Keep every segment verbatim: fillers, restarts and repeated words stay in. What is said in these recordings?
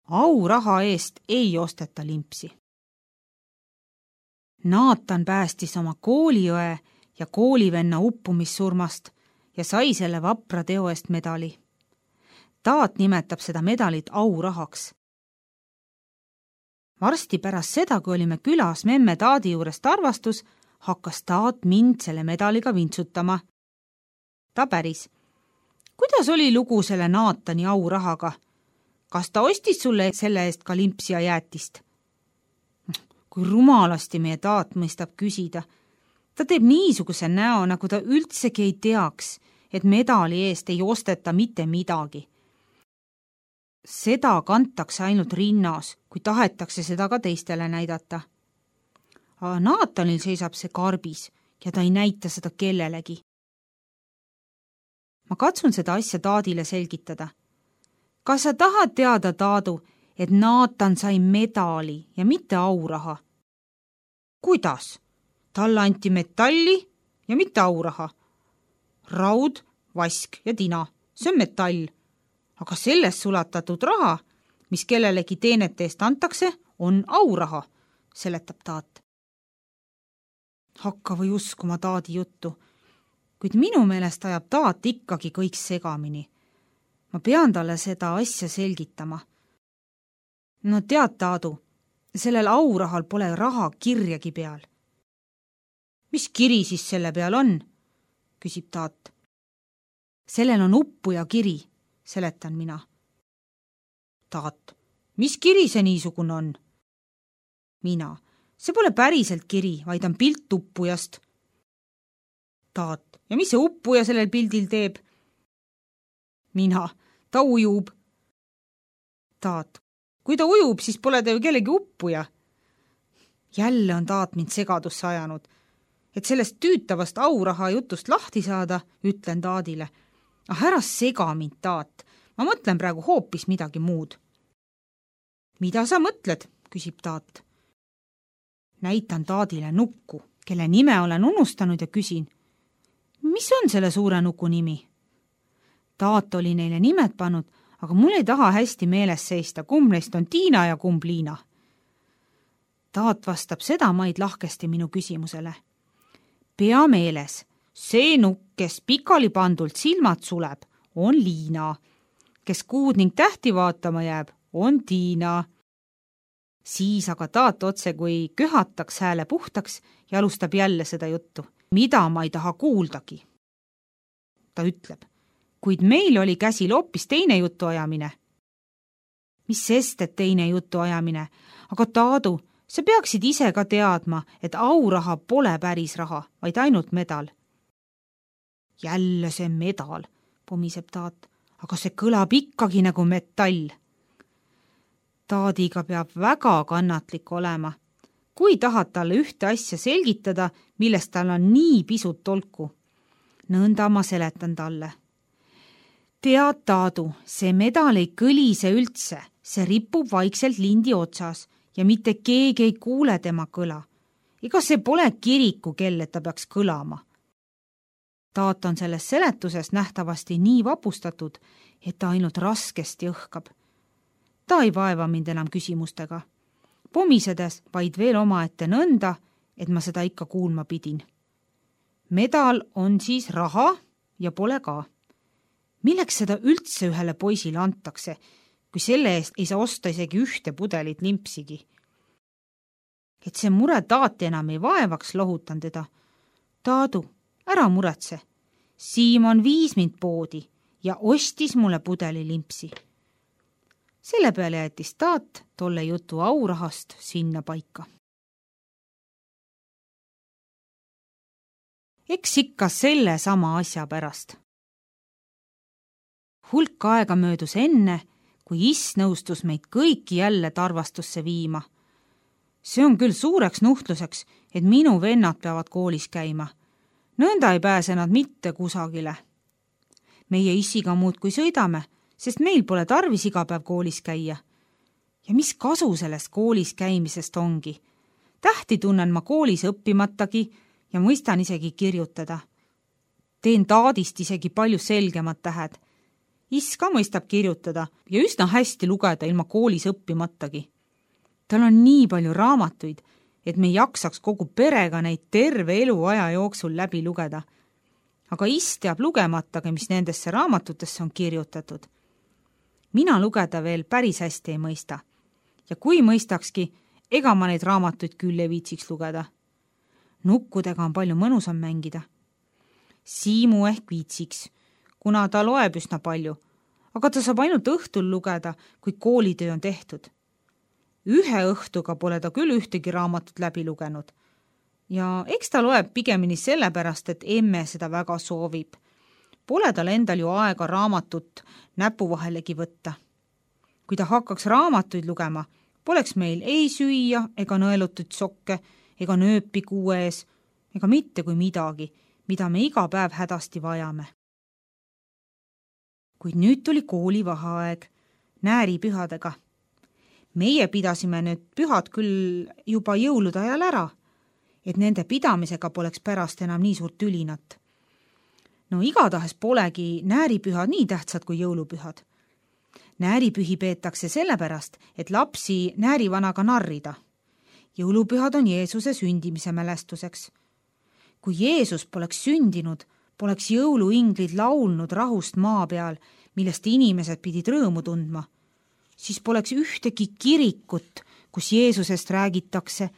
Auraha eest ei osteta limpsi. Naatan päästis oma kooliõe ja koolivenna uppumissurmast ja sai selle vapra teo eest medali. Taat nimetab seda medalit aurahaks. Varsti pärast seda, kui olime külas memme Taadi juurest arvastus, hakkas Taat mind selle medaliga vintsutama. Ta päris. Kuidas oli lugu selle Naatani aurahaga? Kas ta ostis sulle selle eest ka limpsi ja jäätist? Kui rumalasti meie Taat mõistab küsida. Ta teeb niisuguse näo, nagu ta üldsegi ei teaks, et medali eest ei osteta mitte midagi. Seda kantakse ainult rinnas, kui tahetakse seda ka teistele näidata. Aga Naatanil seisab see karbis ja ta ei näita seda kellelegi. Ma katsun seda asja Taadile selgitada. Kas sa tahad teada, Taadu, et Naatan sai medali ja mitte auraha? Kuidas? Talle anti metalli ja mitte auraha. Raud, vask ja tina, see on metall. Aga sellest sulatatud raha, mis kellelegi teenete eest antakse, on auraha, seletab Taat. Hakka või uskuma Taadi juttu, kuid minu meelest ajab Taat ikkagi kõik segamini. Ma pean talle seda asja selgitama. No tead, Taadu, sellel aurahal pole raha kirjagi peal. Mis kiri siis selle peal on? Küsib Taat. Sellel on uppuja kiri, seletan mina. Taat, mis kiri see niisugune on? Mina, see pole päriselt kiri, vaid on pilt uppujast. Taat, ja mis see uppuja sellel pildil teeb? Mina, ta ujub. Taat, kui ta ujub, siis pole ta ju kellegi uppuja. Jälle on Taat mind segadusse ajanud. Et sellest tüütavast auraha jutust lahti saada, ütlen Taadile. Ah, ära sega mind, Taat. Ma mõtlen praegu hoopis midagi muud. Mida sa mõtled, küsib Taat. Näitan Taadile nukku, kelle nime olen unustanud ja küsin. Mis on selle suure nuku nimi? Taat oli neile nimed pannud, aga mul ei taha hästi meeles seista, kumb neist on Tiina ja kumb Liina. Taat vastab seda maid lahkesti minu küsimusele. Pea meeles, see nukk, kes pikali pandult silmad suleb, on Liina. Kes kuud ning tähti vaatama jääb, on Tiina. Siis aga Taat otse kui köhataks hääle puhtaks ja alustab jälle seda juttu, mida ma ei taha kuuldagi. Ta ütleb, kuid meil oli käsil hoopis teine jutuajamine. Mis sest, et teine jutuajamine, aga Taadu, sa peaksid ise ka teadma, et auraha pole päris raha, vaid ainult medal. Jälle see medal, pomiseb Taat, aga see kõlab ikkagi nagu metall. Taadiga peab väga kannatlik olema. Kui tahad talle ühte asja selgitada, millest tal on nii pisut tolku. Nõnda ma seletan talle. Tead, Taadu, see medal ei kõlise üldse, see ripub vaikselt lindi otsas ja mitte keegi ei kuule tema kõla. Ega see pole kiriku kell, et ta peaks kõlama. Taat on selles seletuses nähtavasti nii vapustatud, et ta ainult raskesti õhkab. Ta ei vaeva mind enam küsimustega. Pomisedes vaid veel omaette nõnda, et ma seda ikka kuulma pidin. Medal on siis raha ja pole ka. Milleks seda üldse ühele poisile antakse, kui selle eest ei saa osta isegi ühte pudelit limpsigi? Et see mure Taati enam ei vaevaks, lohutan teda. Taadu, ära muretse. Siimon viis mind poodi ja ostis mulle pudeli limpsi. Selle peale jättis Taat tolle jutu aurahast sinna paika. Eks ikka selle sama asja pärast. Hulk aega möödus enne, kui Is nõustus meid kõiki jälle tarvastusse viima. See on küll suureks nuhtluseks, et minu vennad peavad koolis käima. Nõnda ei pääse nad mitte kusagile. Meie Issiga muud kui sõidame, sest meil pole tarvis iga päev koolis käia. Ja mis kasu sellest koolis käimisest ongi? Tähti tunnen ma koolis õppimatagi ja mõistan isegi kirjutada. Teen Taadist isegi palju selgemad tähed. Iss ka mõistab kirjutada ja üsna hästi lugeda ilma koolis õppimatagi. Tal on nii palju raamatuid, et me jaksaks kogu perega neid terve eluaja jooksul läbi lugeda. Aga Iss teab lugematagi, mis nendesse raamatutesse on kirjutatud. Mina lugeda veel päris hästi ei mõista. Ja kui mõistakski, ega ma neid raamatuid küll ei viitsiks lugeda. Nukkudega on palju mõnusam mängida. Siimu ehk viitsiks, kuna ta loeb üsna palju, aga ta saab ainult õhtul lugeda, kui koolitöö on tehtud. Ühe õhtuga pole ta küll ühtegi raamatut läbi lugenud. Ja eks ta loeb pigemini sellepärast, et emme seda väga soovib. Pole tal endal ju aega raamatut näpu vahelegi võtta. Kui ta hakkaks raamatuid lugema, poleks meil ei süüa ega nõelutud sokke ega nööpi kuu ees ega mitte kui midagi, mida me iga päev hädasti vajame. Kuid nüüd tuli koolivaheaeg nääripühadega. Meie pidasime nüüd pühad küll juba jõulude ajal ära, et nende pidamisega poleks pärast enam nii suurt ülinat. No igatahes polegi nääripühad nii tähtsad kui jõulupühad. Nääripühi peetakse sellepärast, et lapsi näärivanaga narrida. Jõulupühad on Jeesuse sündimise mälestuseks. Kui Jeesus poleks sündinud, poleks jõuluinglid laulnud rahust maa peal, millest inimesed pidid rõõmu tundma. Siis poleks ühtegi kirikut, kus Jeesusest räägitakse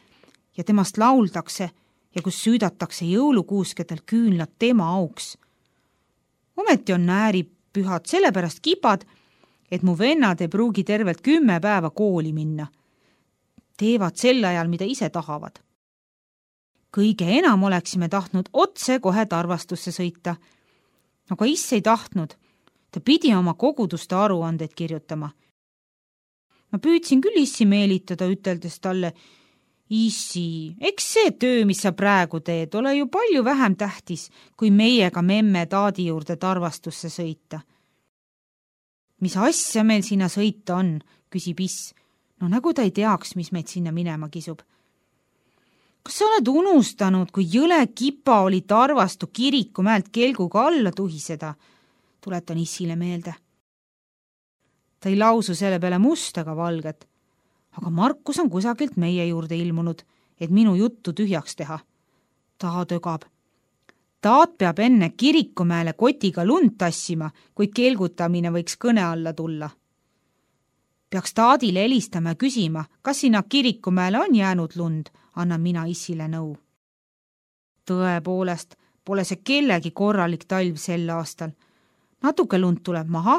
ja temast lauldakse ja kus süüdatakse jõulukuuskedel küünlad tema auks. Ometi on nääripühad sellepärast kipad, et mu vennad ei pruugi tervelt kümme päeva kooli minna. Teevad sel ajal, mida ise tahavad. Kõige enam oleksime tahtnud otse kohe Tarvastusse sõita. Aga Iss ei tahtnud. Ta pidi oma koguduste aruandeid kirjutama. Ma püüdsin küll Issi meelitada, üteldes talle, Issi, eks see töö, mis sa praegu teed, ole ju palju vähem tähtis, kui meiega memme taadi juurde Tarvastusse sõita. Mis asja meil sinna sõita on, küsib Iss. No nagu ta ei teaks, mis meid sinna minema kisub. Kas sa oled unustanud, kui jõle kipa oli Tarvastu kiriku mäelt kelguga alla tuhiseda? Tuletan Issile meelde. Ta ei lausu selle peale must ega valget, aga Markus on kusagilt meie juurde ilmunud, et minu juttu tühjaks teha. Ta tögab. Taat peab enne kirikumäele kotiga lund tassima, kui kelgutamine võiks kõne alla tulla. Peaks taadile helistama ja küsima, kas sinna kirikumäele on jäänud lund, annan mina Issile nõu. Tõepoolest, pole see kellegi korralik talv sel aastal. Natuke lund tuleb maha,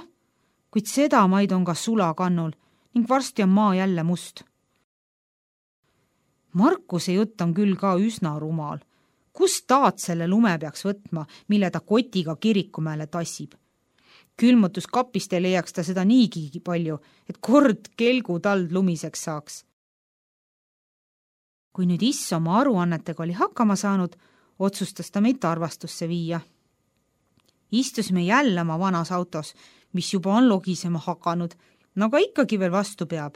kuid seda maid on ka sulakannul ning varsti on maa jälle must. Markuse jutt on küll ka üsna rumal. Kus taat selle lume peaks võtma, mille ta kotiga kirikumäele tassib? Külmutuskapist ei leiaks ta seda niigi palju, et kord kelgu tald lumiseks saaks. Kui nüüd Iss oma aruannetega oli hakkama saanud, otsustas ta meid Tarvastusse viia. Istusime jälle oma vanas autos, mis juba on logisema hakanud, no aga ikkagi veel vastu peab.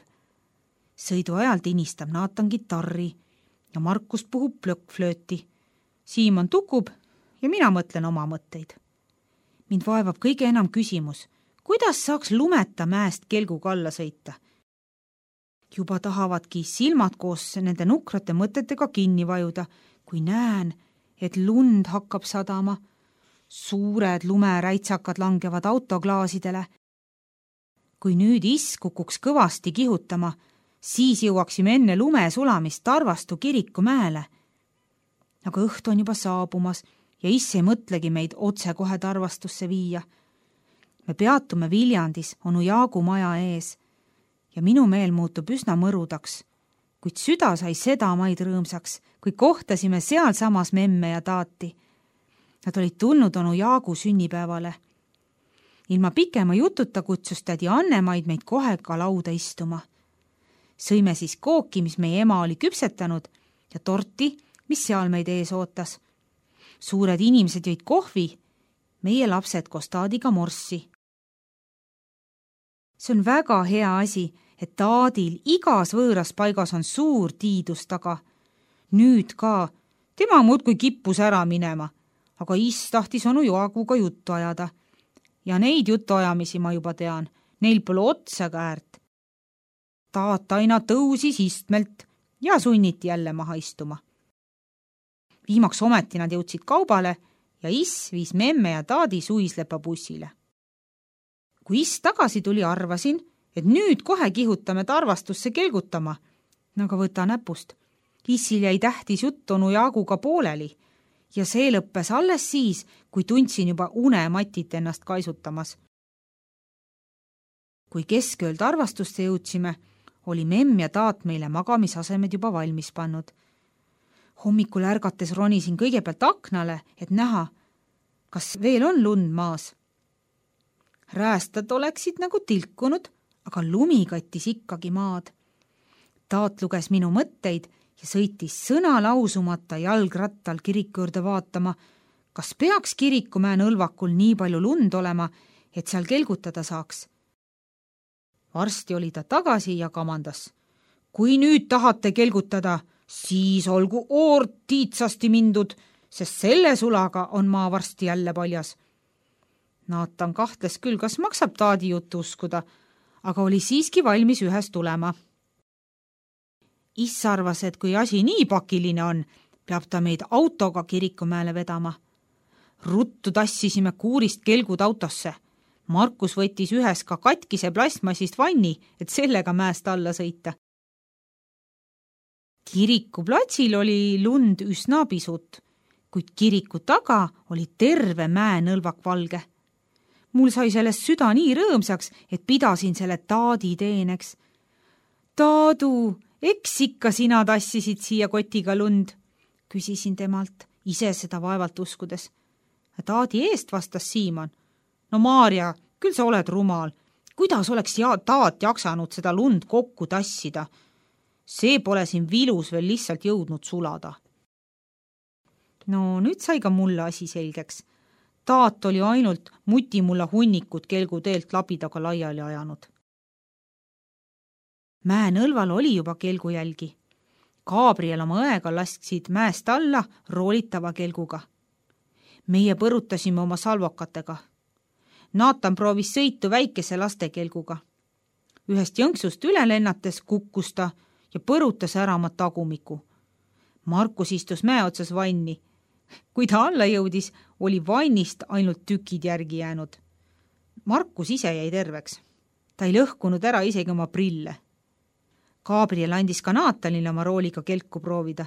Sõidu ajal tinistab Naatan gitarri ja Markus puhub plökkflööti. Siimon tukub ja mina mõtlen oma mõtteid. Mind vaevab kõige enam küsimus, kuidas saaks lumeta mäest kelguga alla sõita. Juba tahavadki silmad koos nende nukrate mõtetega kinni vajuda, kui näen, et lund hakkab sadama. Suured lumeräitsakad langevad autoklaasidele. Kui nüüd Iss kukuks kõvasti kihutama, siis jõuaksime enne lume sulamist Tarvastu kirikumäele. Aga õhtu on juba saabumas ja Iss ei mõtlegi meid otse kohe Tarvastusse viia. Me peatume Viljandis onu Jaagu maja ees ja minu meel muutub üsna mõrudaks, kuid süda sai seda maid rõõmsaks, kui kohtasime seal samas memme ja taati. Nad olid tulnud onu Jaagu sünnipäevale. Ilma pikema jututa kutsus tädi Annemaid meid kohe ka lauda istuma. Sõime siis kooki, mis meie ema oli küpsetanud ja torti, mis seal meid ees ootas. Suured inimesed jõid kohvi, meie lapsed koos taadiga morssi. See on väga hea asi, et taadil igas võõras paigas on suur tiidus taga. Nüüd ka, tema muudkui kippus ära minema, aga Iss tahtis onu Jaaguga juttu ajada. ja neid jutuajamisi ma juba tean, neil pole otsa käärt. Taat aina tõusis istmelt ja sunniti jälle maha istuma. Viimaks ometi nad jõudsid kaubale ja Iss viis memme ja taadi suislepa bussile. Kui Iss tagasi tuli, arvasin, et nüüd kohe kihutame tarvastusse kelgutama, aga võta näpust. Issil jäi tähtis jutt onu Jaaguga pooleli ja see lõppes alles siis, kui tundsin juba unematit ennast kaisutamas. Kui keskööl tarvastusse jõudsime, oli memm ja taat meile magamisasemed juba valmis pannud. Hommikul ärgates ronisin kõigepealt aknale, et näha, kas veel on lund maas. Räästad oleksid nagu tilkunud, aga lumi kattis ikkagi maad. Taat luges minu mõtteid ja sõitis sõna lausumata jalgrattal kiriku juurde vaatama, kas peaks kirikumäe nõlvakul nii palju lund olema, et seal kelgutada saaks. Varsti oli ta tagasi ja kamandas. Kui nüüd tahate kelgutada, siis olgu oort tiitsasti mindud, sest selle sulaga on maa varsti jälle paljas. Naatan kahtles küll, kas maksab taadi juttu uskuda, aga oli siiski valmis ühes tulema. Iss arvas, et kui asi nii pakiline on, peab ta meid autoga kirikumäele vedama. Ruttu tassisime kuurist kelgud autosse. Markus võttis ühes ka katkise plastmassist vanni, et sellega mäest alla sõita. Kiriku platsil oli lund üsna pisut, kuid kiriku taga oli terve mäenõlvak valge. Mul sai sellest süda nii rõõmsaks, et pidasin selle taadi teeneks. Taadu, eks ikka sina tassisid siia kotiga lund, küsisin temalt, ise seda vaevalt uskudes. Taadi eest vastas Siimon. No Maarja, küll sa oled rumal. Kuidas oleks ja taat jaksanud seda lund kokku tassida? See pole siin vilus veel lihtsalt jõudnud sulada. No nüüd sai ka mulle asi selgeks. Taat oli ainult mutimulla hunnikud kelguteelt labidaga laiali ajanud. Mäenõlval oli juba kelgujälgi. Gabriel oma õega lasksid mäest alla roolitava kelguga. Meie põrutasime oma salvokatega. Naatan proovis sõitu väikese lastekelguga. Ühest jõnksust üle lennates kukkus ta ja põrutas ära oma tagumiku. Markus istus mäe otsas vanni. Kui ta alla jõudis, oli vannist ainult tükid järgi jäänud. Markus ise jäi terveks. Ta ei lõhkunud ära isegi oma prille. Gabriel andis ka Naatanile oma rooliga kelku proovida.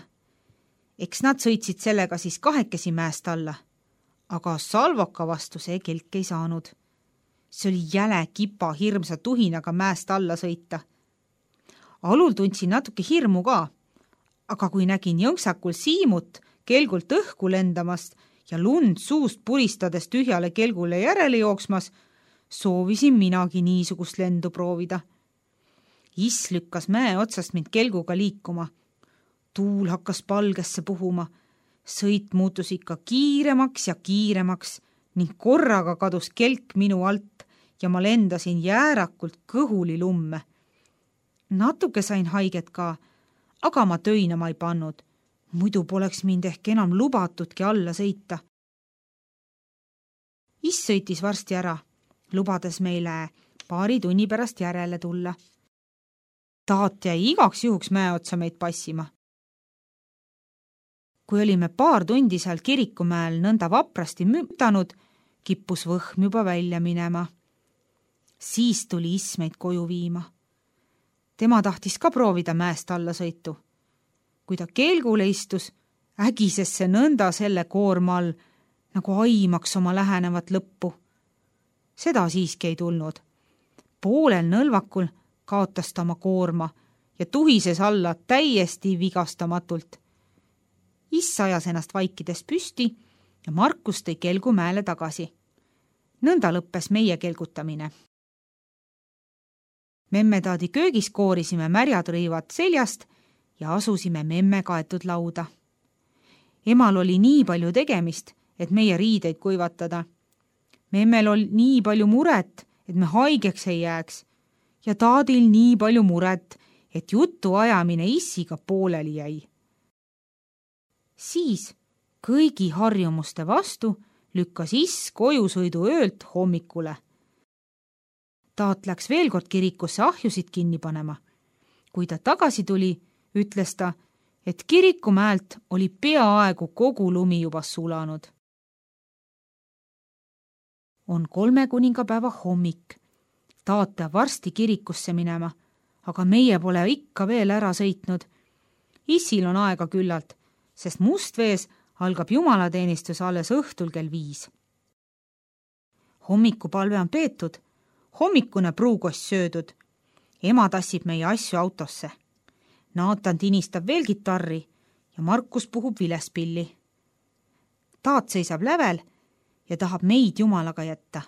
Eks nad sõitsid sellega siis kahekesi mäest alla. Aga salvoka vastu see kelk ei saanud. See oli jäle kipa hirmsa tuhinaga mäest alla sõita. Alul tundsin natuke hirmu ka, aga kui nägin jõnksakul Siimut kelgult õhku lendamast ja lund suust puristades tühjale kelgule järele jooksmas, soovisin minagi niisugust lendu proovida. Iss lükkas mäe otsast mind kelguga liikuma. Tuul hakkas palgesse puhuma. Sõit muutus ikka kiiremaks ja kiiremaks ning korraga kadus kelk minu alt ja ma lendasin jäärakult kõhuli lumme. Natuke sain haiget ka, aga ma töinama ei pannud. Muidu poleks mind ehk enam lubatudki alla sõita. Iss sõitis varsti ära, lubades meile paari tunni pärast järele tulla. Taat jäi igaks juhuks mäe otsa meid passima. Kui olime paar tundi seal kirikumäel nõnda vaprasti mütanud, kippus võhm juba välja minema. Siis tuli Iss meid koju viima. Tema tahtis ka proovida mäest alla sõitu. Kui ta kelgule istus, ägises see nõnda selle koorma all, nagu aimaks oma lähenevat lõppu. Seda siiski ei tulnud. Poolel nõlvakul kaotas ta oma koorma ja tuhises alla täiesti vigastamatult. Iss ajas ennast vaikides püsti ja Markus tõi kelgu mäele tagasi. Nõnda lõppes meie kelgutamine. Memmetaadi köögis koorisime märjad rõivad seljast ja asusime memme kaetud lauda. Emal oli nii palju tegemist, et meie riideid kuivatada. Memmel oli nii palju muret, et me haigeks ei jääks ja taadil nii palju muret, et jutu ajamine Issiga pooleli jäi. Siis kõigi harjumuste vastu lükkas iss kojusõidu öölt hommikule. Taat läks veel kord kirikusse ahjusid kinni panema. Kui ta tagasi tuli, ütles ta, et kirikumäelt oli peaaegu kogu lumi juba sulanud. On kolme kuningapäeva hommik. Taat peab varsti kirikusse minema, aga meie pole ikka veel ära sõitnud. Issil on aega küllalt, sest Mustvees algab jumalateenistus alles õhtul kell viis. Hommikupalve on peetud, hommikune pruukost söödud. Ema tassib meie asju autosse. Naatan tinistab veel kitarri ja Markus puhub vilespilli. Taat seisab lävel ja tahab meid jumalaga jätta.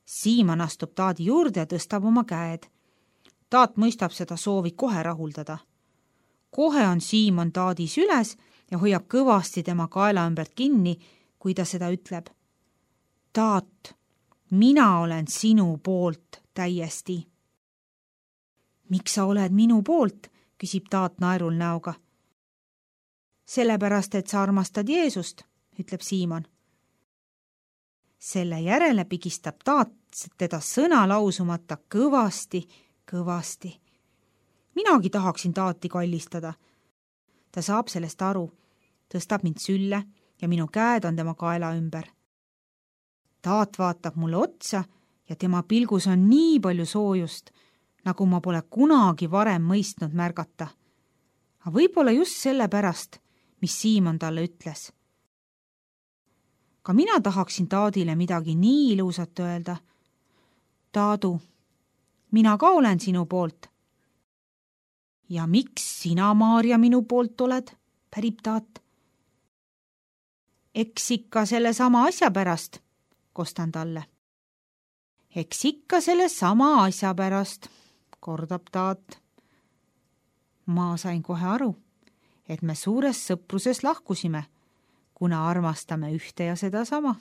Siimann astub Taadi juurde ja tõstab oma käed. Taat mõistab seda soovi kohe rahuldada. Kohe on Siimann Taadi süles ja hoiab kõvasti tema kaela ümbert kinni, kui ta seda ütleb. Taat, mina olen sinu poolt täiesti. Miks sa oled minu poolt, küsib Taat naerul näoga. Sellepärast, et sa armastad Jeesust, ütleb Siimann. Selle järele pigistab Taat teda sõna lausumata kõvasti, kõvasti. Minagi tahaksin Taati kallistada. Ta saab sellest aru, tõstab mind sülle ja minu käed on tema kaela ümber. Taat vaatab mulle otsa ja tema pilgus on nii palju soojust, nagu ma pole kunagi varem mõistnud märgata. Aga võib-olla just selle pärast, mis Siimann talle ütles. Ka mina tahaksin Taadile midagi nii ilusat öelda. Taadu, mina ka olen sinu poolt. Ja miks sina, Maarja, minu poolt oled, pärib Taat. Eks ikka selle sama asja pärast, kostan talle. Eks ikka selle sama asja pärast, kordab Taat. Ma sain kohe aru, et me suures sõpruses lahkusime, kuna armastame ühte ja seda sama.